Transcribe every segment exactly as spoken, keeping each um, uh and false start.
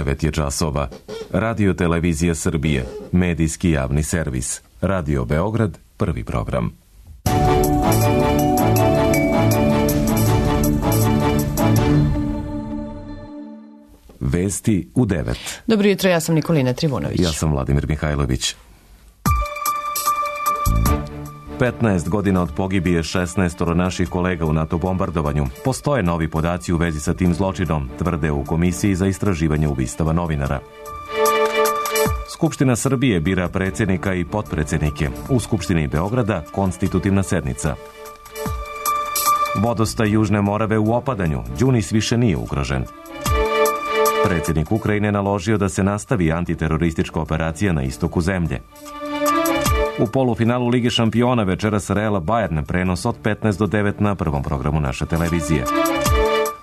devet je časova. Radio Televizija Srbije, medijski javni servis. Radio Beograd, prvi program. Vesti u devet. Dobro jutro, ja sam Nikolina Trivunović. Ja sam Vladimir Mihajlović. petnaest godina od pogibije šesnaestoro naših kolega u NATO bombardovanju. Postoje novi podaci u vezi sa tim zločinom, tvrde u Komisiji za istraživanje ubistava novinara. Skupština Srbije bira predsjednika i potpredsjednike. U Skupštini Beograda konstitutivna sednica. Vodostaj Južne Morave u opadanju. Đunis više nije ugrožen. Predsjednik Ukrajine naložio da se nastavi antiteroristička operacija na istoku zemlje. U polufinalu Lige šampiona večeras Real Bayern, prenos od petnaest do devet na prvom programu naše televizije.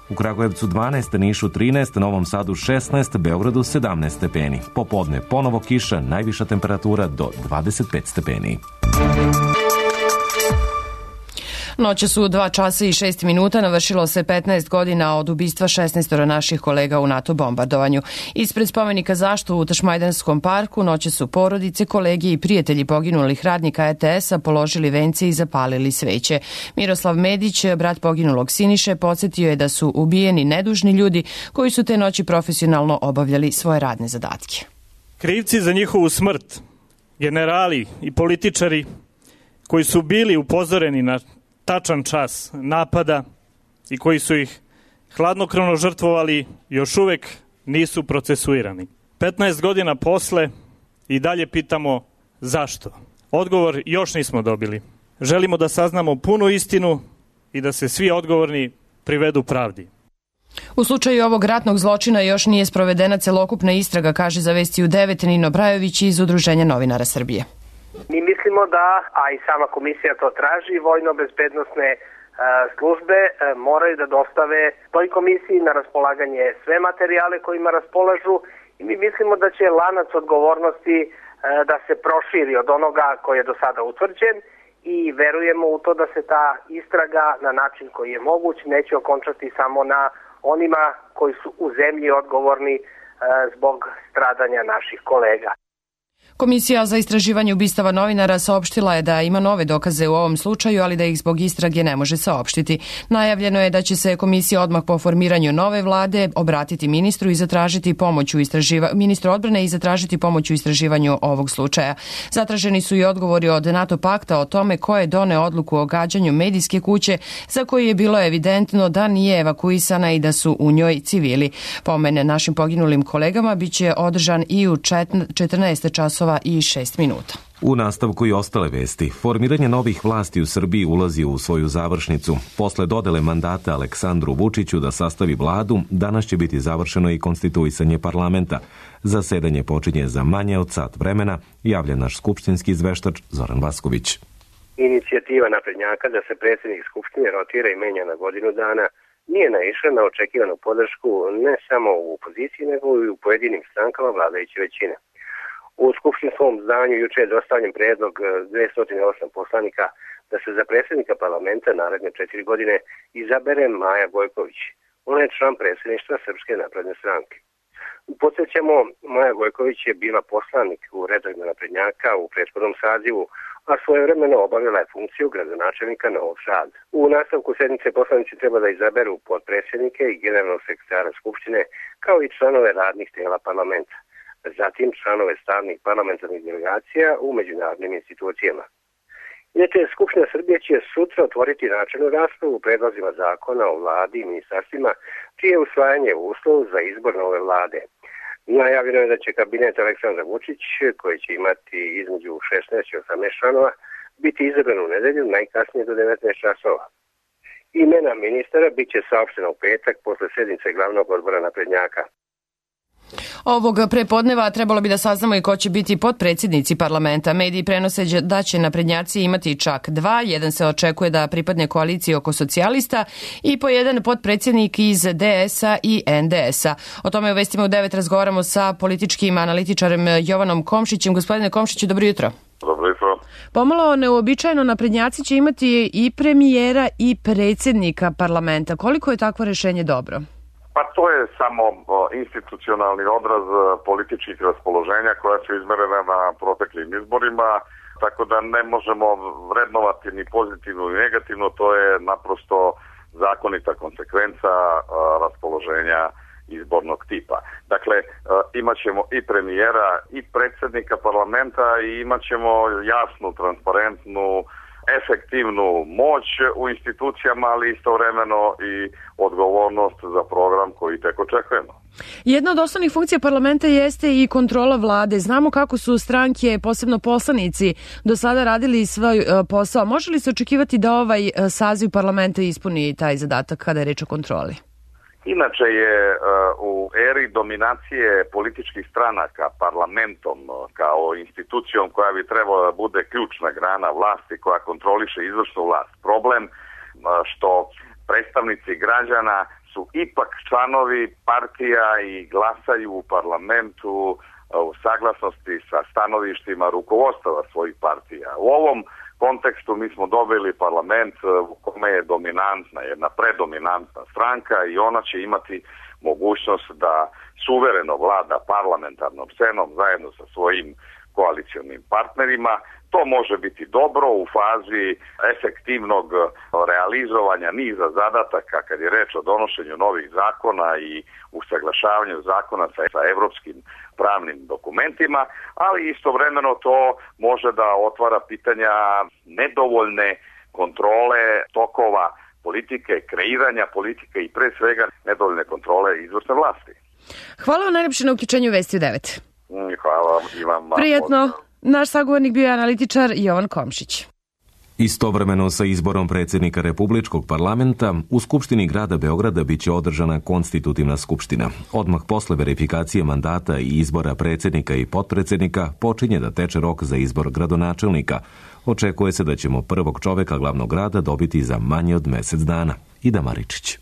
U Kragujevcu dvanaest, Nišu trinaest, Novom Sadu šesnaest, Beogradu sedamnaest stepeni. Popodne ponovo kiša, najviša temperatura do dvadeset pet stepeni. Noće su dva časa i šest minuta, navršilo se petnaest godina od ubistva šesnaestoro naših kolega u NATO bombardovanju. Ispred spomenika zašto u Tašmajdanskom parku noće su porodice, kolege i prijatelji poginulih radnika E T S-a položili vence i zapalili sveće. Miroslav Medić, brat poginulog Siniše, podsjetio je da su ubijeni nedužni ljudi koji su te noći profesionalno obavljali svoje radne zadatke. Krivci za njihovu smrt, generali i političari koji su bili upozoreni na tačan čas napada i koji su ih hladnokrvno žrtvovali, još uvek nisu procesuirani. petnaest godina posle i dalje pitamo zašto. Odgovor još nismo dobili. Želimo da saznamo punu istinu i da se svi odgovorni privedu pravdi. U slučaju ovog ratnog zločina još nije sprovedena celokupna istraga, kaže za Vesti u devet Nino Brajović iz Udruženja novinara Srbije. Mi mislimo da, a i sama komisija to traži, vojno-bezbednosne e, službe e, moraju da dostave toj komisiji na raspolaganje sve materijale kojima raspolažu i mi mislimo da će lanac odgovornosti e, da se proširi od onoga koji je do sada utvrđen i verujemo u to da se ta istraga na način koji je moguć neće okončati samo na onima koji su u zemlji odgovorni e, zbog stradanja naših kolega. Komisija za istraživanje ubistava novinara saopštila je da ima nove dokaze u ovom slučaju, ali da ih zbog istrage ne može saopštiti. Najavljeno je da će se komisija odmah po formiranju nove vlade obratiti ministru i zatražiti pomoć u istraživa... ministru odbrane i zatražiti pomoć u istraživanju ovog slučaja. Zatraženi su i odgovori od NATO pakta o tome ko je doneo odluku o gađanju medijske kuće za koju je bilo evidentno da nije evakuisana i da su u njoj civili. Pomen našim poginulim kolegama biće održan i u četrnaest časova i šest minuta. U nastavku i ostale vesti. Formiranje novih vlasti u Srbiji ulazi u svoju završnicu. Posle dodele mandata Aleksandru Vučiću da sastavi vladu, danas će biti završeno i konstituisanje parlamenta. Zasedanje počinje za manje od sat vremena, javlja naš skupštinski izveštač Zoran Vasković. Inicijativa naprednjaka da se predsjednik Skupštine rotira i menja na godinu dana nije naišla na očekivanu podršku ne samo u opoziciji, nego i u pojedinim strankama vladajuće većine. U skupštinskom zdanju juče je dostavljen predlog dvesta osam poslanika da se za predsjednika parlamenta naredne četiri godine izabere Maja Gojković. Ona je član predsjedništva Srpske napredne stranke. Podsjećamo, Maja Gojković je bila poslanik u redovima naprednjaka u prethodnom sazivu, a svojevremeno obavila je funkciju gradonačelnika Novog Sada. U nastavku sednice poslanici treba da izaberu potpredsjednike i generalnog sekretara Skupštine, kao i članove radnih tijela parlamenta. Zatim članove stalnih parlamentarnih delegacija u međunarodnim institucijama. Inače, Skupština Srbije će sutra otvoriti načelnu raspravu u predlozima zakona o vladi i ministarstvima, čije usvajanje je uslov za izbor nove vlade. Najavljeno je da će kabinet Aleksandra Vučić, koji će imati između šesnaest i osamnaest članova, biti izabran u nedelju najkasnije do devetnaest časova. Imena ministara bit će saopštena u petak posle sednice glavnog odbora naprednjaka. Ovog prepodneva trebalo bi da saznamo i ko će biti potpredsjednici parlamenta. Mediji prenose da će naprednjaci imati čak dva. Jedan se očekuje da pripadne koaliciji oko socijalista i po jedan potpredsjednik iz D S-a i N D S-a. O tome u Vestima u devet razgovaramo sa političkim analitičarem Jovanom Komšićem. Gospodine Komšiću, dobro jutro. Dobro jutro. Pomalo neuobičajeno, naprednjaci će imati i premijera i predsjednika parlamenta. Koliko je takvo rešenje dobro? Pa to je samo institucionalni odraz političkih raspoloženja koja su izmerena na proteklim izborima, tako da ne možemo vrednovati ni pozitivno ni negativno, to je naprosto zakonita konsekvenca raspoloženja izbornog tipa. Dakle, imat ćemo i premijera i predsjednika parlamenta i imat ćemo jasnu, transparentnu, efektivnu moć u institucijama, ali istovremeno i odgovornost za program koji tek očekujemo. Jedna od osnovnih funkcija parlamenta jeste i kontrola vlade. Znamo kako su stranke, posebno poslanici, do sada radili svoj posao. Može li se očekivati da ovaj saziv parlamenta ispuni taj zadatak kada je reč o kontroli? Inače je u eri dominacije političkih stranaka parlamentom kao institucijom koja bi trebala da bude ključna grana vlasti koja kontroliše izvršnu vlast. Problem što predstavnici građana su ipak članovi partija i glasaju u parlamentu u saglasnosti sa stanovištima rukovodstava svojih partija. U ovom kontekstu mi smo dobili parlament u kome je dominantna, jedna predominantna stranka i ona će imati mogućnost da suvereno vlada parlamentarnom scenom zajedno sa svojim koalicionim partnerima. To može biti dobro u fazi efektivnog realizovanja niza zadataka kad je reč o donošenju novih zakona i usaglašavanju zakona sa, sa evropskim pravnim dokumentima, ali istovremeno to može da otvara pitanja nedovoljne kontrole tokova politike, kreiranja politike i pre svega nedovoljne kontrole izvršne vlasti. Hvala vam najljepše na uključenju Vesti u devet. Hvala vam i vam. Prijetno. Naš sagovornik bio je analitičar Jovan Komšić. Istovremeno sa izborom predsjednika Republičkog parlamenta, u Skupštini grada Beograda biće održana konstitutivna skupština. Odmah posle verifikacije mandata i izbora predsjednika i potpredsjednika počinje da teče rok za izbor gradonačelnika. Očekuje se da ćemo prvog čoveka glavnog grada dobiti za manje od mjesec dana. Ida Maričić.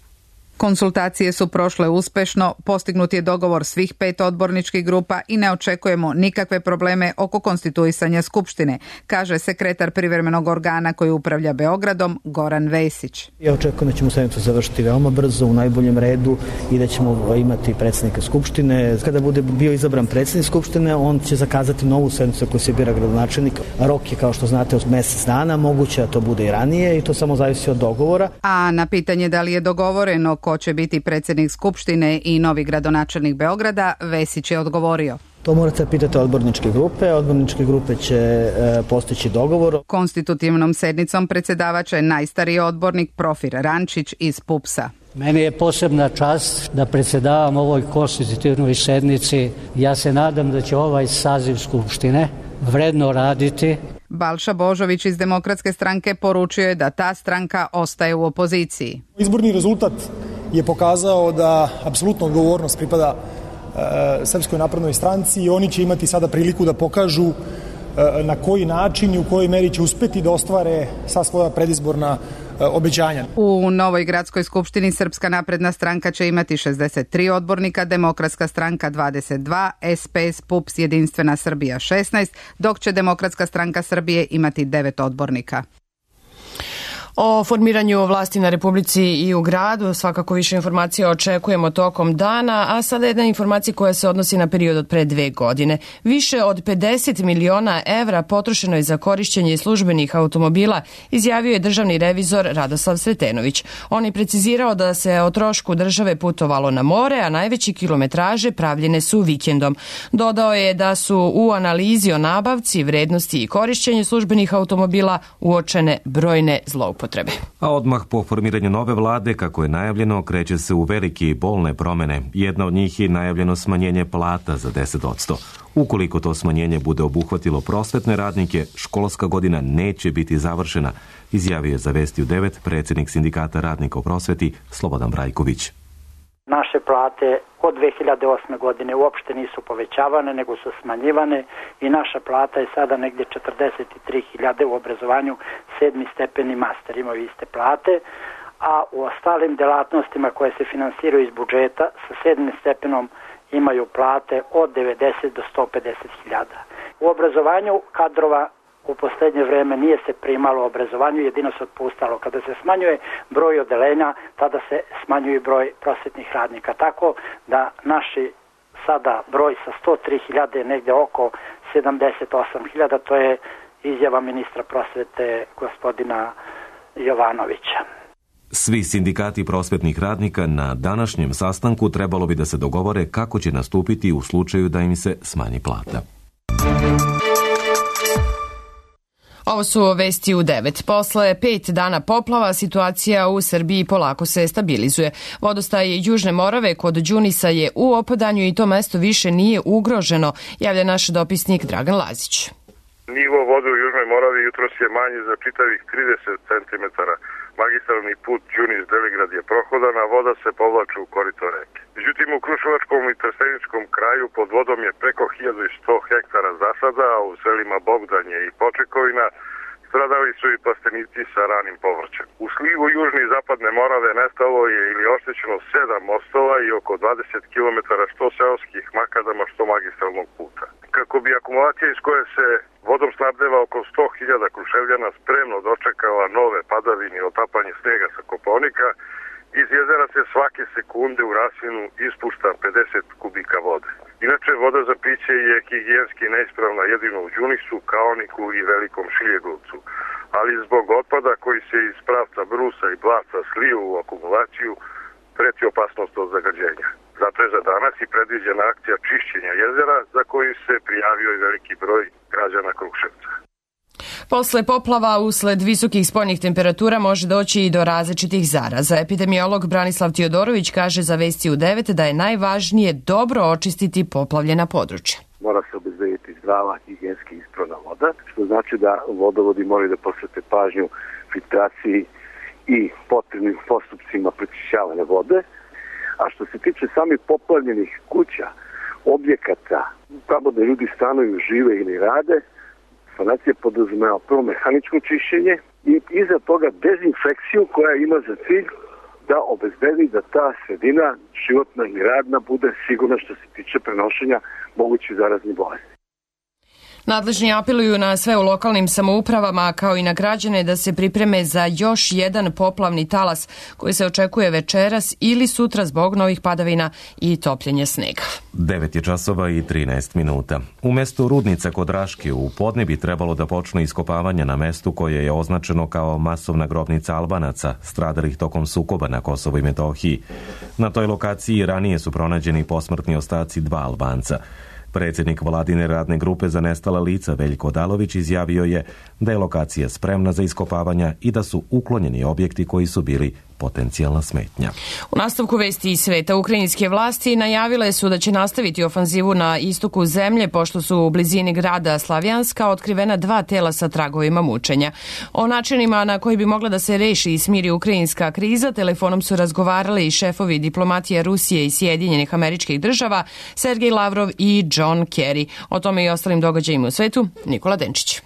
Konsultacije su prošle uspešno, postignut je dogovor svih pet odborničkih grupa i ne očekujemo nikakve probleme oko konstituisanja Skupštine, kaže sekretar privremenog organa koji upravlja Beogradom, Goran Vesić. Ja očekujem da ćemo sednicu završiti veoma brzo, u najboljem redu i da ćemo imati predsjednika Skupštine. Kada bude bio izabran predsjednik Skupštine, on će zakazati novu sednicu koji se bira gradonačelnik. Rok je, kao što znate, od mjesec dana, moguće da to bude i ranije i to samo zavisi od dogovora. A na pitanje da li je dogovoreno ko će biti predsjednik Skupštine i novi gradonačelnik Beograda, Vesić je odgovorio. To morate pitati odborničke grupe, odborničke grupe će e, postići dogovor. Konstitutivnom sednicom predsjedavač je najstariji odbornik Profir Rančić iz Pupsa. Meni je posebna čast da predsjedavam ovoj konstitutivnoj sednici. Ja se nadam da će ovaj saziv Skupštine vredno raditi. Balša Božović iz Demokratske stranke poručio je da ta stranka ostaje u opoziciji. Izborni rezultat je pokazao da apsolutno odgovornost pripada e, Srpskoj naprednoj stranci i oni će imati sada priliku da pokažu e, na koji način i u kojoj meri će uspeti da ostvare sva svoja predizborna e, obećanja. U Novoj gradskoj skupštini Srpska napredna stranka će imati šezdeset tri odbornika, Demokratska stranka dvadeset dva, S P S, Pups, Jedinstvena Srbija šesnaest, dok će Demokratska stranka Srbije imati devet odbornika. O formiranju vlasti na Republici i u gradu svakako više informacija očekujemo tokom dana, a sada jedna informacija koja se odnosi na period od pre dve godine. Više od pedeset miliona evra potrošeno je za korišćenje službenih automobila, izjavio je državni revizor Radoslav Sretenović. On je precizirao da se o trošku države putovalo na more, a najveći kilometraže pravljene su vikendom. Dodao je da su u analizi o nabavci, vrednosti i korišćenju službenih automobila uočene brojne zloupotrebe. A odmah po formiranju nove vlade, kako je najavljeno, kreće se u velike i bolne promene. Jedna od njih je najavljeno smanjenje plata za deset posto. Ukoliko to smanjenje bude obuhvatilo prosvetne radnike, školska godina neće biti završena, izjavio je za Vesti u devet predsjednik sindikata radnika u prosveti Slobodan Brajković. Naše plate od dve hiljade osme. godine uopšte nisu povećavane, nego su smanjivane i naša plata je sada negdje četrdeset tri hiljade u obrazovanju, sedmi stepeni master imaju iste plate, a u ostalim delatnostima koje se finansiraju iz budžeta sa sedmim stepenom imaju plate od devedeset do sto pedeset hiljada. U obrazovanju kadrova u posljednje vreme nije se primalo obrazovanju, jedino se otpustalo. Kada se smanjuje broj odeljenja, tada se smanjuje broj prosvetnih radnika. Tako da naši sada broj sa sto tri hiljade negdje oko sedamdeset osam hiljada, to je izjava ministra prosvete gospodina Jovanovića. Svi sindikati prosvetnih radnika na današnjem sastanku trebalo bi da se dogovore kako će nastupiti u slučaju da im se smanji plata. Ovo su vesti u devet. Posle pet dana poplava situacija u Srbiji polako se stabilizuje. Vodostaj Južne Morave kod Đunisa je u opadanju i to mesto više nije ugroženo, javlja naš dopisnik Dragan Lazić. Nivo vode u Južnoj Moravi jutros je manji za čitavih trideset centimetara. Magistralni put Đunis-Deligrad je prohodan, a voda se povlači u korito reke. Međutim, u Kruševačkom i Trsteničkom kraju pod vodom je preko hiljadu sto hektara zasada, a u selima Bogdanje i Počekovina stradali su i plastenici sa ranim povrćem. U slivu Južne i Zapadne Morave nestalo je ili oštećeno sedam mostova i oko dvadeset kilometara što seoskih makadama, što magistralnog puta. Kako bi akumulacija iz koje se vodom snabdeva oko sto hiljada Kruševljana spremno dočekala nove padavine i otapanje snega sa Kopaonika, iz jezera se svake sekunde u rasvinu ispušta pedeset kubika vode. Inače, voda za piće je higijenski neispravna jedino u Đunisu, Kaoniku i Velikom Šiljegovcu, ali zbog otpada koji se iz pravca brusa i blaca sliju u akumulaciju preti opasnost od zagađenja. Zato je za danas i predviđena akcija čišćenja jezera za koju se prijavio i veliki broj građana Kruševca. Posle poplava usled visokih spoljnih temperatura može doći i do različitih zaraza. Epidemiolog Branislav Tiodorović kaže za Vesti u devet da je najvažnije dobro očistiti poplavljena područja. Mora se obezbediti zdrava, higijenski ispravna voda, što znači da vodovodi moraju da posvete pažnju filtraciji i potrebnim postupcima prečišćavanja vode. A što se tiče samih poplavljenih kuća, objekata, tamo da ljudi stanuju, žive ili rade, sanacija podrazumeva prvo mehaničko čišćenje i iza toga dezinfekciju koja ima za cilj da obezbedi da ta sredina životna i radna bude sigurna što se tiče prenošenja mogućih zaraznih bolesti. Nadležni apeluju na sve u lokalnim samoupravama kao i na građane da se pripreme za još jedan poplavni talas koji se očekuje večeras ili sutra zbog novih padavina i topljenja snega. devet je časova i trinaest minuta. U mestu Rudnica kod Raške u podne bi trebalo da počne iskopavanje na mestu koje je označeno kao masovna grobnica Albanaca stradalih tokom sukoba na Kosovu i Metohiji. Na toj lokaciji ranije su pronađeni posmrtni ostaci dva Albanca. Predsjednik vladine radne grupe za nestala lica Veljko Odalović izjavio je da je lokacija spremna za iskopavanja i da su uklonjeni objekti koji su bili potencijalna smetnja. U nastavku vesti iz sveta, ukrajinske vlasti najavile su da će nastaviti ofanzivu na istoku zemlje pošto su u blizini grada Slavjanska otkrivena dva tela sa tragovima mučenja. O načinima na koji bi mogla da se reši i smiri ukrajinska kriza telefonom su razgovarali i šefovi diplomatije Rusije i Sjedinjenih Američkih Država Sergej Lavrov i John Kerry. O tome i ostalim događajima u svetu Nikola Denčić.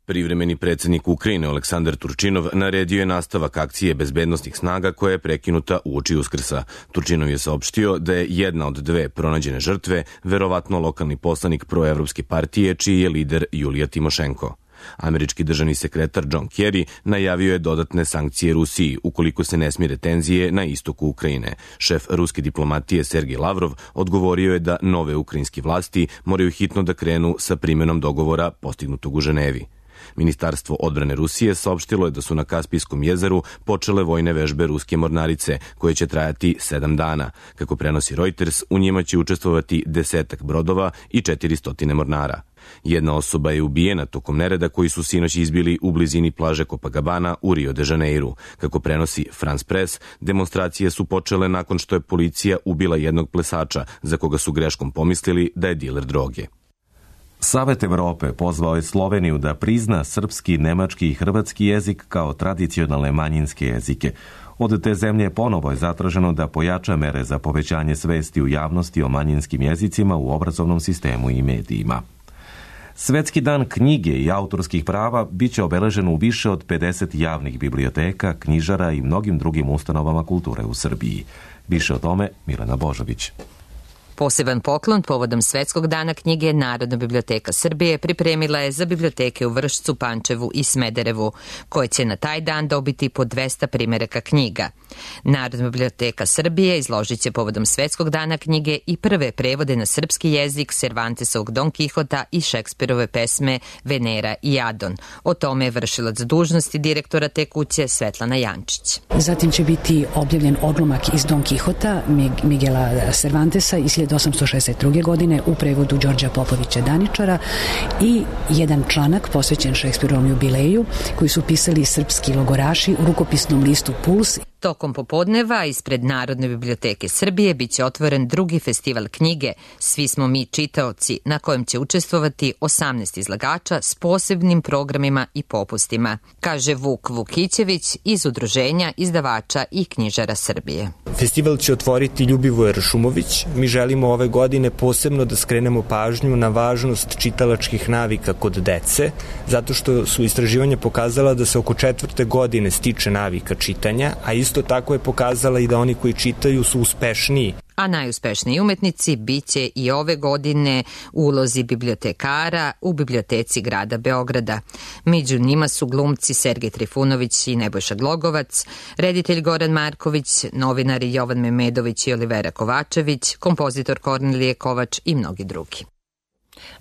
Privremeni predsjednik Ukrajine Aleksandar Turčinov naredio je nastavak akcije bezbednosnih snaga koja je prekinuta uoči Uskrsa. Turčinov je saopštio da je jedna od dve pronađene žrtve verovatno lokalni poslanik proevropske partije čiji je lider Julija Timošenko. Američki državni sekretar John Kerry najavio je dodatne sankcije Rusiji ukoliko se ne smire tenzije na istoku Ukrajine. Šef ruske diplomatije Sergej Lavrov odgovorio je da nove ukrajinske vlasti moraju hitno da krenu sa primjenom dogovora postignutog u Ženevi. Ministarstvo odbrane Rusije saopštilo je da su na Kaspijskom jezeru počele vojne vežbe ruske mornarice, koje će trajati sedam dana. Kako prenosi Reuters, u njima će učestvovati desetak brodova i četiristo mornara. Jedna osoba je ubijena tokom nereda koji su sinoć izbili u blizini plaže Copacabana u Rio de Janeiru. Kako prenosi France Press, demonstracije su počele nakon što je policija ubila jednog plesača, za koga su greškom pomislili da je diler droge. Savet Evrope pozvao je Sloveniju da prizna srpski, nemački i hrvatski jezik kao tradicionalne manjinske jezike. Od te zemlje ponovo je zatraženo da pojača mere za povećanje svesti u javnosti o manjinskim jezicima u obrazovnom sistemu i medijima. Svetski dan knjige i autorskih prava biće obeležen u više od pedeset javnih biblioteka, knjižara i mnogim drugim ustanovama kulture u Srbiji. Više o tome Milena Božović. Poseban poklon povodom Svetskog dana knjige Narodna biblioteka Srbije pripremila je za biblioteke u Vršcu, Pančevu i Smederevu, koje će na taj dan dobiti po dvesta primeraka knjiga. Narodna biblioteka Srbije izložit će povodom Svetskog dana knjige i prve prevode na srpski jezik Cervantesovog Don Kihota i Šekspirove pesme Venera i Adon. O tome je vršilac dužnosti direktora te kuće Svetlana Jančić. Zatim će biti objavljen odlomak iz Don Kihota Miguela Cervantesa iz hiljadu osamsto šezdeset druge. godine u prevodu Đorđa Popovića Daničara i jedan članak posvećen Šekspirovom jubileju koji su pisali srpski logoraši u rukopisnom listu Puls. Tokom popodneva ispred Narodne biblioteke Srbije biće otvoren drugi festival knjige Svi smo mi čitaoci, na kojem će učestvovati osamnaest izlagača s posebnim programima i popustima, kaže Vuk Vukićević iz Udruženja izdavača i knjižara Srbije. Festival će otvoriti Ljubivoje Ršumović. Mi želimo ove godine posebno da skrenemo pažnju na važnost čitalačkih navika kod dece, zato što su istraživanja pokazala da se oko četvrte godine stiče navika čitanja, a isto tako je pokazala i da oni koji čitaju su uspešniji. A najuspešniji umetnici biće i ove godine u ulozi bibliotekara u biblioteci grada Beograda. Među njima su glumci Sergej Trifunović i Nebojša Glogovac, reditelj Goran Marković, novinari Jovan Memedović i Olivera Kovačević, kompozitor Kornelije Kovač i mnogi drugi.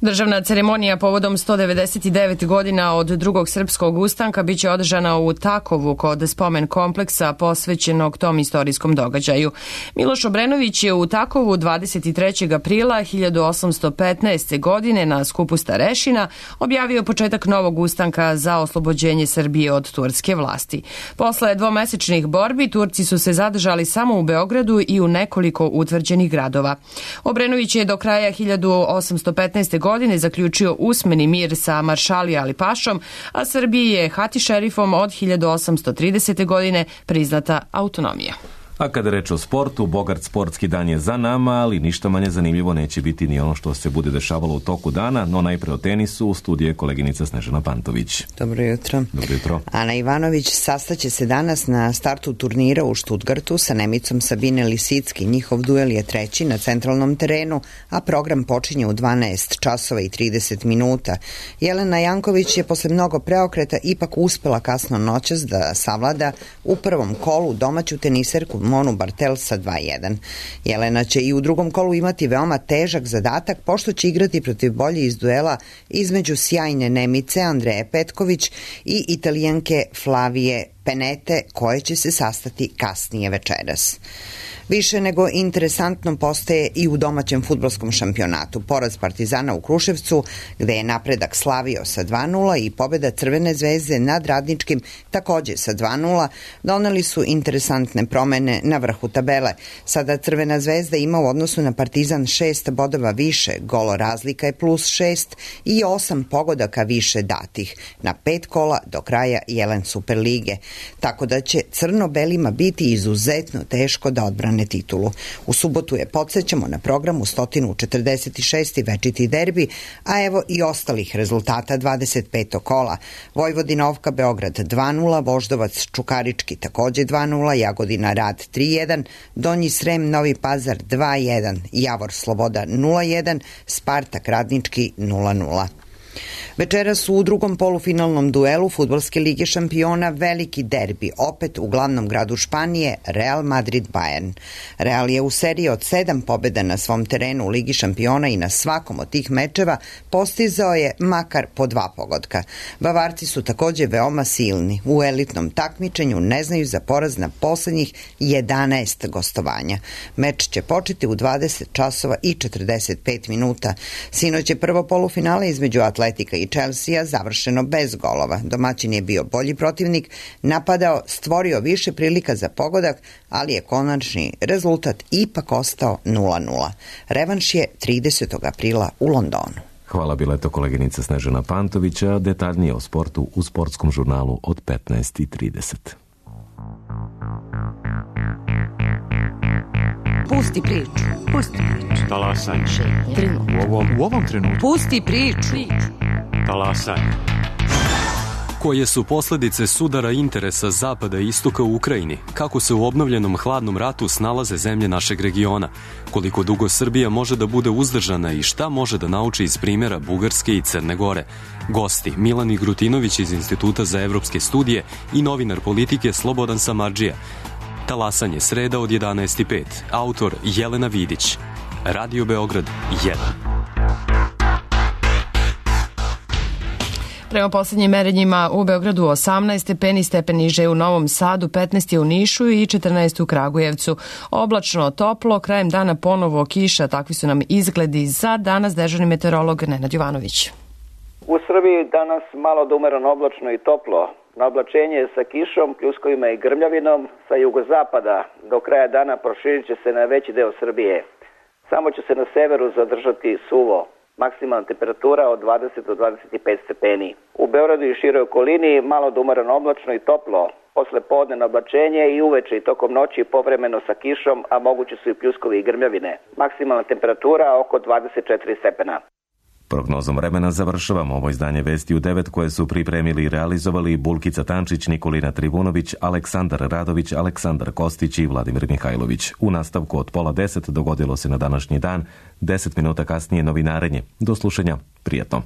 Državna ceremonija povodom sto devedeset devet godina od drugog srpskog ustanka biće održana u Takovu kod spomen kompleksa posvećenog tom istorijskom događaju. Miloš Obrenović je u Takovu dvadeset trećeg aprila hiljadu osamsto petnaeste. godine na skupu starešina objavio početak novog ustanka za oslobođenje Srbije od turske vlasti. Posle dvomesečnih borbi Turci su se zadržali samo u Beogradu i u nekoliko utvrđenih gradova. Obrenović je do kraja hiljadu osamsto petnaeste. godine zaključio usmeni mir sa Maršalija Alipašom, a Srbiji je hati šerifom od hiljadu osamsto tridesete. godine priznata autonomija. A kada reč o sportu, bogat sportski dan je za nama, ali ništa manje zanimljivo neće biti ni ono što se bude dešavalo u toku dana, no najpre o tenisu u studiju je koleginica Snežana Pantović. Dobro jutro. Dobro jutro. Ana Ivanović sastaće se danas na startu turnira u Štutgartu sa Nemicom Sabine Lisicki. Njihov duel je treći na centralnom terenu, a program počinje u dvanaest časova i trideset minuta. Jelena Janković je posle mnogo preokreta ipak uspela kasno noćas da savlada u prvom kolu domaću teniserku Monu Bartel sa dva jedan. Jelena će i u drugom kolu imati veoma težak zadatak, pošto će igrati protiv bolje iz duela između sjajne Nemice Andreje Petković i Italijanke Flavije Penete, koje će se sastati kasnije večeras. Više nego interesantno postaje i u domaćem fudbalskom šampionatu. Poraz Partizana u Kruševcu, gde je napredak slavio sa dva nula i pobjeda Crvene zvezde nad Radničkim takođe sa dva nula, doneli su interesantne promene na vrhu tabele. Sada Crvena zvezda ima u odnosu na Partizan šest bodova više, golo razlika je plus šest i osam pogodaka više datih na pet kola do kraja Jelen Superlige. Tako da će crno-belima biti izuzetno teško da odbrane titulu. U subotu je, podsjećamo, na programu sto četrdeset šest. večiti derbi, a evo i ostalih rezultata dvadeset petog kola. Vojvodina Ovka Beograd dva nula, Voždovac Čukarički takođe dva nula, Jagodina Rad tri jedan, Donji Srem Novi Pazar dva jedan, Javor Sloboda nula jedan, Spartak Radnički nula nula. Večeras u drugom polufinalnom duelu Fudbalske lige šampiona veliki derbi, opet u glavnom gradu Španije, Real Madrid-Bayern. Real je u seriji od sedam pobjeda na svom terenu u Ligi šampiona i na svakom od tih mečeva postizao je makar po dva pogotka. Bavarci su takođe veoma silni. U elitnom takmičenju ne znaju za poraz na poslednjih jedanaest gostovanja. Meč će početi u dvadeset časova i četrdeset pet minuta. Sinoć je prvo polufinale između Atletika i Chelsea završeno bez golova. Domaćin je bio bolji protivnik, napadao, stvorio više prilika za pogodak, ali je konačni rezultat ipak ostao nula nula. Revanš je tridesetog aprila u Londonu. Hvala, bila je to koleginica Snežana Pantovića, detaljnije o sportu u sportskom žurnalu od petnaest i trideset. Pusti priču. Pusti priču. Talasaj. U ovom, u ovom trenutku. Pusti priču. Talasaj. Koje su posledice sudara interesa Zapada i Istoka u Ukrajini? Kako se u obnovljenom hladnom ratu snalaze zemlje našeg regiona? Koliko dugo Srbija može da bude uzdržana i šta može da nauči iz primjera Bugarske i Crne Gore? Gosti Milan Igrutinović iz Instituta za evropske studije i novinar politike Slobodan Samardžija. Talasanje sreda od jedanaest i pet. Autor Jelena Vidić. Radio Beograd jedan. Prema posljednjim merenjima u Beogradu osamnaest stepeni, stepen niže u Novom Sadu, petnaest je u Nišu i četrnaest u Kragujevcu. Oblačno, toplo, krajem dana ponovo kiša, takvi su nam izgledi za danas, dežurni meteorolog Nenad Jovanović. U Srbiji danas malo da umereno oblačno i toplo. Na oblačenje sa kišom, pljuskovima i grmljavinom sa jugozapada do kraja dana proširit će se na veći deo Srbije. Samo će se na severu zadržati suvo. Maksimalna temperatura od dvadeset do dvadeset pet stepeni. U Beogradu i široj okolini malo da umereno oblačno i toplo. Posle podne na oblačenje i uveče i tokom noći povremeno sa kišom, a moguće su i pljuskovi i grmljavine. Maksimalna temperatura oko dvadeset četiri stepena. Prognozom vremena završavamo ovo izdanje Vesti u devet koje su pripremili i realizovali Bulkica Tančić, Nikolina Trivunović, Aleksandar Radović, Aleksandar Kostić i Vladimir Mihajlović. U nastavku od pola deset dogodilo se na današnji dan, deset minuta kasnije novinarenje. Do slušanja, prijatno.